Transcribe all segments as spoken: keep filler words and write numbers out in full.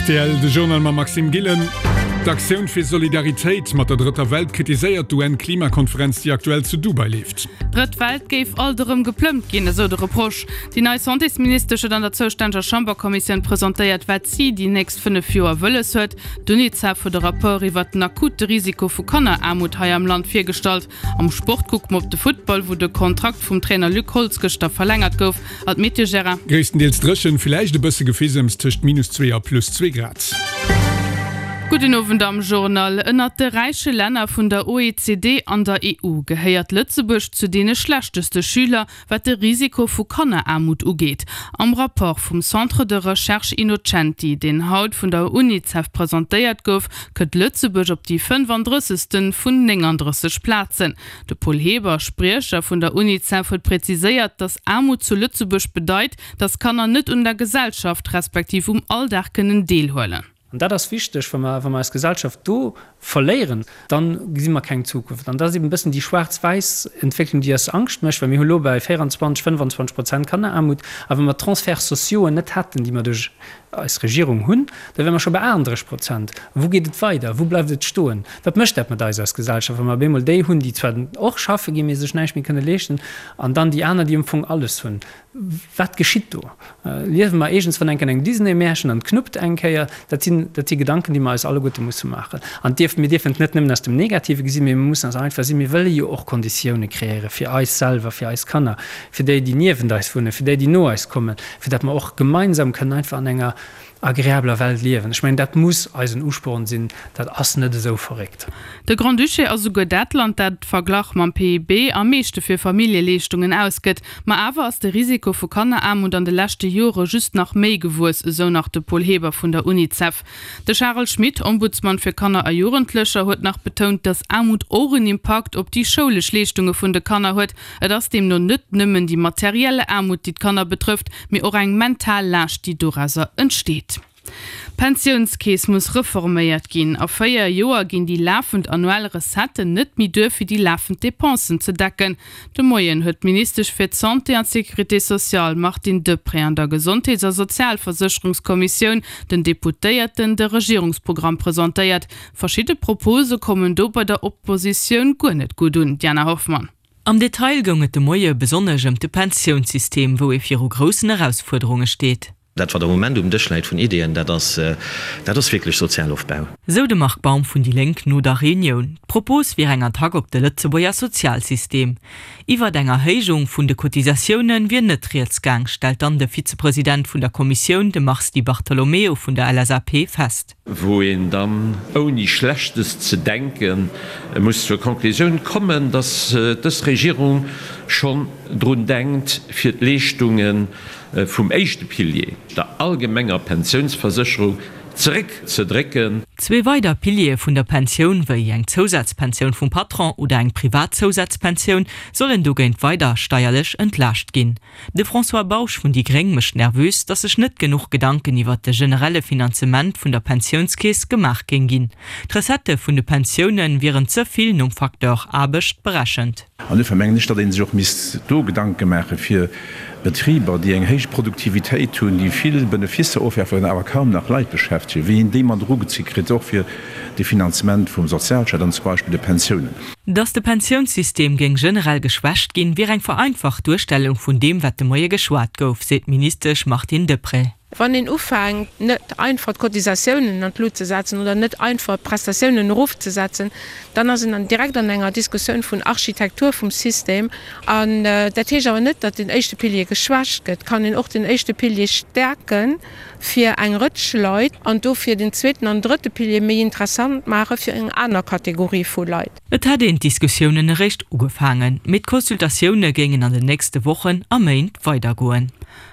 Rtl, de Journal mam Maxime Gillen. D'Aktioun fir Solidaritéit mat der drëtter Welt kritiséiert d'UN-Klimakonferenz, déi aktuell zu Dubai leeft. D'Drëtt Welt géif alt erëm geplëmmt ginn, esou de Reproche. Déi nei Santésministesch huet an der zoustänneger Chamberkommissioun presentéiert, wat si déi nächst fënnef Joer wëlles huet. D'Unicef huet e Rapport iwwert den akute Risiko vu Kanneraarmut hei am Land virgestallt. Am Sport kucke mer op de Futtball, wou de Kontrakt vum Trainer Luc Holtz gëschter verlängert gouf. An d'Meteo, Gérard? Gréisstendeels dréchen, villäicht e bësse Gefisems, tëscht minus zwee a plus zwee Grad. Gudden Owend am Journal. Ënnert de räiche Länner vun der OECD an der E U gehéiert Lëtzebuerg zu deene schlechteste Schüler, wat de Risiko vu Kanneraarmut ugeet. Am Rapport vum Centre de Recherche Innocenti, deen haut vun der Unicef presentéiert gouf, kënnt Lëtzebuerg op déi fënnefandrëssegste vun néngandrësseg Plazen. De Paul Heber, Spriecher vun der Unicef, huet präziséiert, datt Aarmut zu Lëtzebuerg bedeit, datt Kanner net un der Gesellschaft respektiv um Alldag kënnen deelhuelen. An dat ass wichteg, wa mer, wa mer eis Gesellschaft do verléieren, dann gesi mer keng Zukunft. An dat ass eben e bëssen déi schwaarz-wäiss Entwécklung, déi eis Angscht mécht, well mir hu lo bei véierundzwanzeg, fënnfanzwanzeg Prozent Kanneraarmut, a wa mer d'Transferts sociauxen net hätten, déi mer duerch eis Regierung hunn, da wäre mer scho bei aachtenddrësseg Prozent. Wou geet et weider? Wou bleift et stoen? Wat mécht dat mat eis als Gesellschaft, wa mer op eemol déi hunn, déi zwar och schaffe ginn, mee sech näischt méi kënne leeschten, an dann déi aner, déi am Fong alles hunn? Wat geschitt do? Liewe mer iergendswann eng Kéier an engem Disney-Märchen an et knuppt eng Kéier? Dat sinn, dat si Gedanken, déi mer eis alleguerte musse maachen. An dierf, mir dierfen et net nëmmen aus dem Negative gesinn, mee mir mussen eis einfach sinn, mir wëlle jo och Konditioune kreéiere fir eis selwer, fir eis Kanner, fir déi, déi niewent eis wunnen, fir déi, déi no eis kommen, fir datt mer och gemeinsam kënnen einfach an enger agreabler Welt liewen. Ech mengen, dat muss eisen Usporn sinn. Dat ass net esou verréckt. De Grand-Duché ass esouguer dat Land, dat verglach mam P I B am meeschte fir Familljeleeschtungen ausgëtt. Ma awer ass de Risiko vu Kanneraarmut an de leschte Jore just nach méi gewuess, esou nach de Paul Heber vun der Unicef. De Charel Schmit, Ombudsman fir Kanner a Jugendlecher, huet nach betount, datt Aarmut och en Impakt op déi schoulesch Leeschtunge vun de Kanner huet. Et ass deemno net nëmmen déi materiell Aarmut, déi d'Kanner betrëfft, mee och eng mental Laascht, déi dorauser entsteet. D'Pensiounskeess muss reforméiert ginn. A véier Joer ginn déi lafend annuell Recetten net méi duer fir déi lafend Depensen ze decken. De Moien huet d'Ministesch fir d'Santé an d'Sécurité sociale Martine Deprez an der Gesondheets a Sozialversécherungskommissioun den Deputéierten de Regierungsprogramm presentéiert. Verschidde Propose kommen do bei der Oppositioun guer net gutt un. Diana Hoffmann. Am Detail goung et de Moie besonnesch ëm de Pensiounssystem, wou ee viru groussen Erausfuerderunge steet. Dat wat am Moment um Dësch läit vun Ideeën, dat ass, dat ass wierklech Sozialofbau. Sou de Marc Baum vun déi Lénk no der Reunioun. D'Propos wier eng Attack op de Lëtzebuerger Sozialsystem. Iwwert eng Erhéijung vun de Cotisatioune wier net rieds gaang, stellt dann de Vizepresident vun der Kommissioun, de Mars Di Bartolomeo vun der L S A P fest. Wou een dann ouni Schlechtes ze denken muss zur Konklusioun kommen, datt dës Regierung schonn drun denkt, fir d'Leeschtunge vum éischte Pilier, der allgemenger Pensiounsversécherung, zeréckzedrécken. Zwee weider Piliere vun der Pensioun, wéi eng Zousazpensioun vum Patron oder eng privat Zousazpensioun, sollen dogéint weider steierlech entlaascht ginn. De François Bausch vun déi Gréng mécht nervös, datt sech net genuch Gedanken iwwer de generelle Finanzement vun der Pensiounskeess gemaach géing ginn. D'Recettë vun de Pensioune wieren ze vill nom Facteur Aarbecht berechent. An dofir mengen ech, datt ee sech och misst do Gedanke maache fir Betriber, déi eng héich Produktivitéit hunn, déi vill Beneficer ofwerfen, awer kaum nach Leit beschäftegen, wéi een déi mat erugezu kritt, och fir de Finanzement vum Sozialstaat an zum Beispill de Pensiounen. Datt de Pensiounssystem géing generell geschwächt ginn, wier eng vereinfacht Duerstellung vun deem, wat de Moie geschwat gouf, seet d'Ministesch Martine Deprez. Wann een ufänkt, net einfach d'Cotisatiounen an d'Lut ze setzen oder net einfach d'Prestatiounen erofzesetzen, dann ass een dann direkt an enger Diskussioun vun Architektur vum System. An dat heescht awer net, datt den éischte Pilier geschwächt gëtt. Et kann een och den éischte Pilier stäerke fir eng Rëtsch Leit an dofir den zweeten an drëtte Pilier méi interessant maache fir eng aner Kategorie vu Leit. Et hätt een d'Diskussiounen eréischt ugefaangen, mee d'Consultatioune géingen an den nächste Wochen a Méint weidergoen.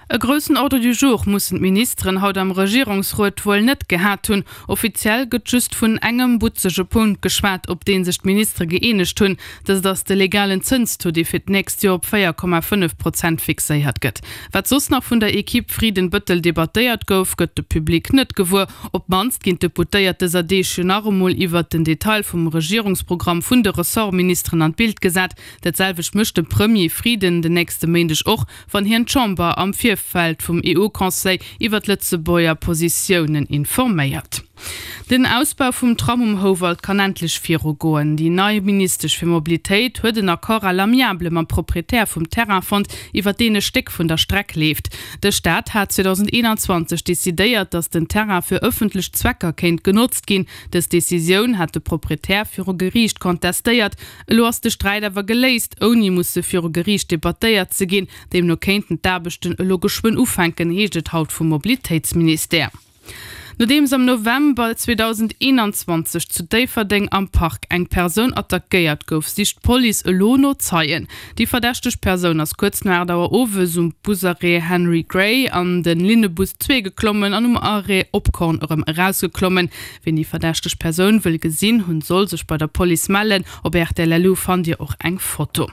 E groussen Ordre du jour mussen d'Ministeren haut am Regierungsrot wuel net gehat hunn. Offiziell gëtt just vun engem butzege Punkt geschwat, op dee sech d'Ministere gëeenegt hunn. Dëst ass de legalen Zënstaux, dee fir d'nächst Joer op véier Komma fënnef Prozent fixéiert gëtt. Wat soss nach vun der Ekipp Frieden-Bëttel debattéiert gouf, gëtt de Public net gewuer. Op d'mannst ginn d'Deputéiert dëser Deeg jo nach emol iwwert den Detail vum Regierungsprogramm vun de Ressortministeren an d'Bild gesat. Dat selwecht mécht de Premier Frieden den nächste Méindeg och, wann hien d'Chamber am Virfeld vum E U-Conseil iwwer d'Lëtzebuerger Positiounen informéiert. Den Ausbau vum Tram um Houwald kann endlech virugoen. Déi nei Ministesch fir Mobilitéit huet en Accord à l'amiable mam Proprietär vum Terrain fonnt, iwwer deen e Stéck vun der Streck leeft. De Staat hat zweedausendeenanzwanzeg decidéiert, datt den Terrain fir ëffentlech Zwecker kéint genotzt ginn. Dës Decisioun hat de Proprietär viru Geriicht kontestéiert. Elo ass de Sträit awer geléist, ouni musse viru Geriicht debattéiert ze ginn. Deemno kéinten d'Aarbechten elo geschwënn ufänken, heescht et haut vum Mobilitéitsministère. Nodeems am November zweedausendeenanzwanzeg zu Déifferdeng am Park eng Persoun attackéiert gouf, sicht d'Police elo no Zeien. Déi verdächteg Persoun ass kuerz no aacht Auer owes um Busarrêt Henry Gray an de Linnebus zwee geklommen an um Arrêt Opkorn erëm erausgeklommen. Wien déi verdächteg Persoun wëll gesinn hunn, soll sech bei der Police mellen. Op rtl.lu fannt Dir och eng Foto.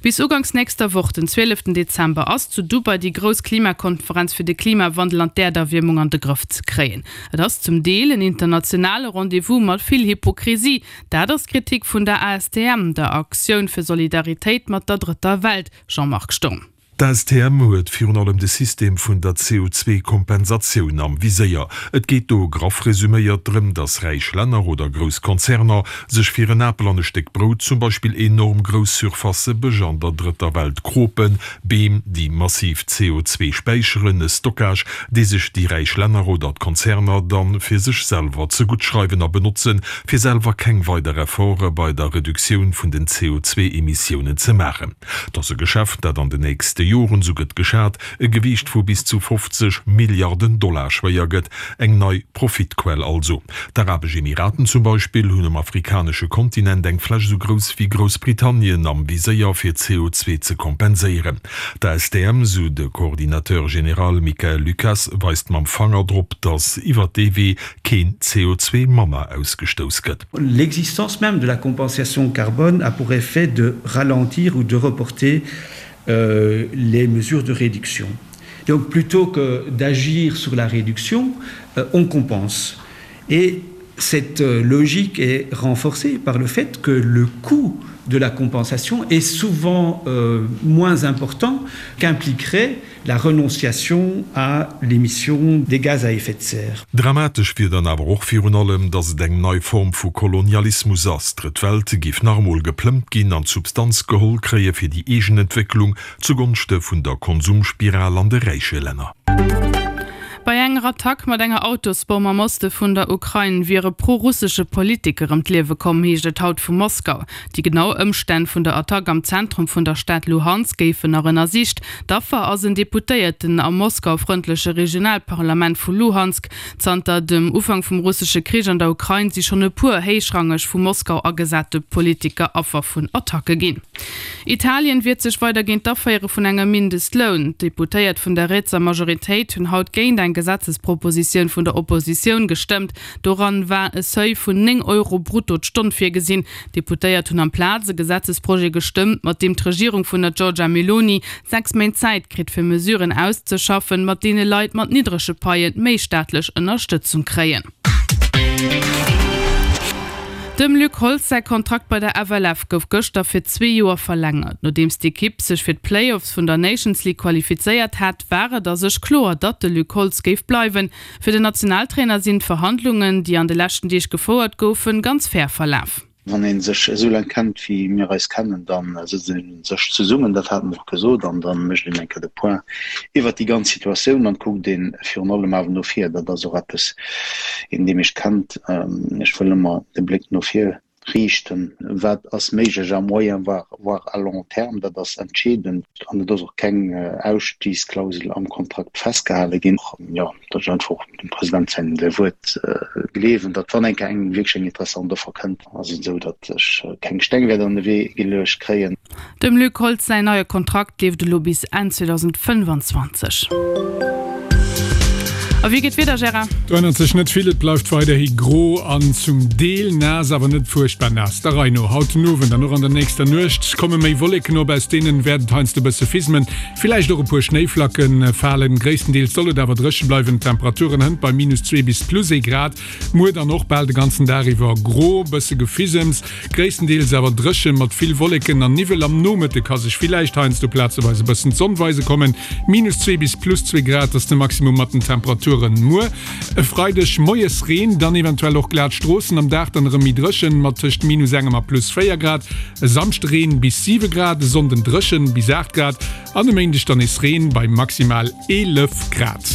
Bis uganks nächster Woch, den zwieleften Dezember, ass zu Dubai déi grouss Klimakonferenz fir de Klimawandel an d'Äerderwiermung an de Grëff ze kréien. Et ass zum Deel en internationale Rendez-vous mat vill Hypokrisie. Dat ass d'Kritik vun der A S T M, der Aktioun fir Solidaritéit mat der Drëtter Welt. Jean-Marc Sturm. D'A S T M huet virun allem de System vun der C O zwee Kompensatioun am Viséier. Et geet do, graff resuméiert, drëm, datt räich Länner oder grouss Konzerner sech fir en Apel an e Stéck Brout zum Beispill enorm grouss Surfacë Bësch an der Drëtter Welt kropen, Beem, déi massiv C O zwee späicheren, e Stockage, dee sech déi räich Länner oder d'Konzerner dann fir sech selwer zegutt schreiwen a benotzen, fir selwer keng weider Efforte bei der Reduktioun vun den C O zwee Emissiounen ze maachen. Et ass e Geschäft, dat an den nächste Joren, sou gëtt geschat, e Gewiicht vu bis zu fofzeg Milliarden Dollar schwéier gëtt. Eng nei Profitquell also. D'Arabesch Emiraten zum Beispill hunn um afrikanesche Kontinent eng Fläch esou grouss wéi Groussbritannien am Viséier fir C O zwee ze kompenséieren. D'A S T M, sou de Coordinateur général Michael Lucas, weist mam Fanger drop, datt iwwer dee Wee keen C O zwee manner ausgestouss gëtt. L'existence même de la compensation carbone a pour effet de ralentir ou de reporter euh, les mesures de réduction. Donc plutôt que d'agir sur la réduction, euh, on compense. Et cette euh, logique est renforcée par le fait que le coût de la compensation est souvent euh, moins important qu'impliquerait la renonciation à l'émission des gaz à effet de serre. Dramatesch wier dann awer och virun allem, datt et eng nei Form vu Kolonialismus ass. D'Drëtt Welt géif nach emol geplëmmt ginn an d'Substanz geholl kréie fir déi eegen Entwécklung, zugonschte vun der Konsumspiral an de räiche Länner. Bei enger Attack mat enger Autosbomm am Oste vun der Ukrain wier e prorussesche Politiker ëm d'Liewe komm, heescht et haut vu Moskau. Déi genau Ëmstänn vun der Attack am Zentrum vun der Stad Luhansk géifen nach ënnersicht. D'Affer ass en Deputéierten am moskaufrëndleche Regionalparlament vu Luhansk. Zanter dem Ufank vum russesche Krich an der Ukrain si schonn e puer héichrangeg vu Moskau agesate Politiker Affer vun Attacke ginn. Italien wiert sech weider géint d'Aféiere vun engem Mindestloun. D'Deputéiert vun der rietser Majoritéit hunn haut géint eng Gesetzespropositioun vun der Oppositioun gestëmmt. Doran war e Seuil vun néng Euro brutto d'Stonn virgesinn. D'Deputéiert hunn amplaz e Gesetzesprojet gestëmmt, mat deem d'Regierung vun der Giorgia Meloni sechs Méint Zäit kritt fir Mesuren auszeschaffen, mat deene Leit mat niddrege Paie méi staatlech Ënnerstëtzung kréien. Dem Luc Holtz säi Kontrakt bei der F L F gouf gëschter fir zwee Joer verlängert. Nodeems d'Ekipp sech fir d'Playoffs vun der Nations League qualifizéiert hat, war et a sech kloer, datt de Luc Holtz géif bleiwen. Fir den Nationaltrainer sinn d'Verhandlungen, déi an de leschten Deeg gefouert goufen, ganz fair verlaf. Wann een sech esou laang kennt wéi mir eis kennen, dann sëtzt een sech zesummen, dat hate mer och gesot, an dann mécht een eng Kéier de Point iwwert déi ganz Situatioun an kuckt een virun allem awer no vir. Dat ass och eppes, een dee mech kennt, ech wëll ëmmer de Bléck no vir riichten, wat ass méiglech à moyen voire, voire à long terme, dat ass entscheedend an et ass och keng Ausstiegsklausel am Kontrakt festgehale ginn. Jo, datt ech einfach dem President säin Wuert gleewen, datt wann eng Kéier eng wierklech eng interessant Offer kënnt, ass et esou, datt ech keng Steng wäert an de Wee geluecht kréien. Dem Luc Holtz säin neie Kontrakt leeft elo bis Enn zweedausendfënnfanzwanzeg. A wéi geet d'Wieder, Gérard? Do ännert sech net vill, et bleift weiderhi gro an zum Deel naass, awer net fuerchtbar naass. Der Rei no, haut den Owend an och an der nächster Nuecht komme méi Wolleken op, aus deenen wäert et heiansdo e bësse fismen, villäicht och e puer Schnéiflacke falen. Gréisstendeels soll et awer dréche bleiwen, d'Temperaturen hënt bei minus zwee bis plus ee Grad. Muer dann och bal de ganzen Dag iwwer gro, bësse Gefisems, gréisstendeels awer dréche mat vill Wolleken an Niwwel. Am Nomëtte ka sech villäicht heiansdo plazeweis e bëssen d'Sonn weise kommen. Minus zwee bis plus zwee Grad ass de Maximum mat den Temperaturen muer. E Freideg moies Reen, dann eventuell och glat Stroossen, am Dag dann erëm méi dréchen mat tëscht minus engem a plus véier Grad. E Samschde Reen bis siwe Grad, e Sonnden dréchen bis aacht Grad an e Méindeg dann nees Reen bei maximal eelef Grad.